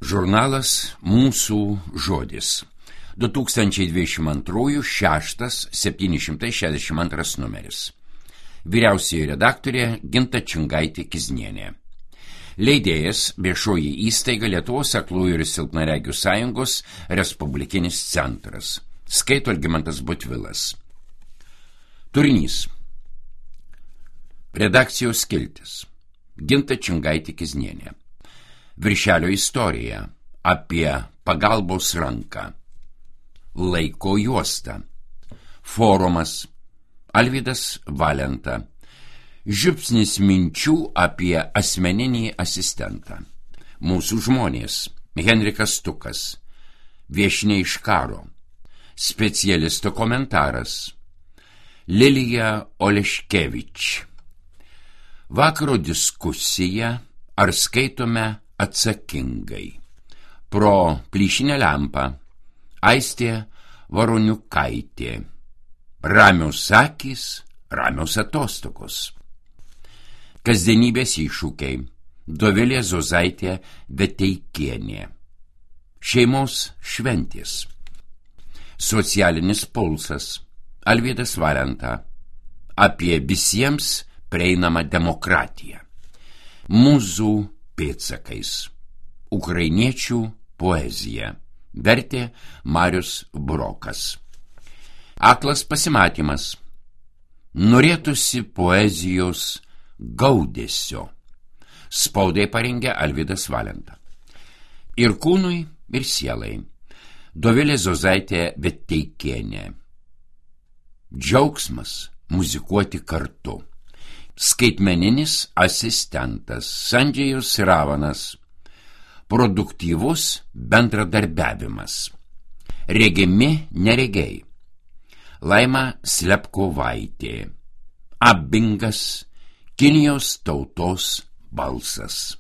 Žurnalas Mūsų žodis. 2022 762 numeris. Vyriausioji redaktorė Ginta Čingaitė-Kiznienė. Leidėjas viešoji įstaiga Lietuvos aklųjų ir silpnaregių sąjungos Respublikinis centras. Skaito Algimantas Butvilas. Turinys. Redakcijos skiltis. Ginta Čingaitė-Kiznienė. Viršelio istorija apie pagalbos ranką. Laiko juosta. Forumas. Alvydas Valenta. Žiupsnis minčių apie asmeninį asistentą. Mūsų žmonės. Henrikas Stukas. Viešnia iš karo. Specialisto komentaras. Lilija Oleškevič. Vakaro diskusija, ar skaitome atsakingai. Pro plyšinę lempą. Aistė Varoniukaitė. Ramios akys, ramios atostogos. Kasdienybės iššūkiai. Dovilė Zozaitė Veteikienė. Šeimos šventės. Socialinis pulsas. Alvydas Valenta. Apie visiems prieinamą demokratiją. Mūzų pėdsakais. Ukrainiečių poezija. Vertė Marius Burokas. Aklas pasimatymas. Norėtųsi poezijos gaudesio. Spaudai parengė Alvydas Valenta. Ir kūnui, ir sielai. Dovilė Zozaitė Veteikienė. Džiaugsmas muzikuoti kartu. Skaitmeninis asistentas Sandžėjus Ravanas. Produktyvus bendradarbiavimas. Regimi neregiai. Laima Slepkovaitė. Abingas, Kinijos tautos balsas.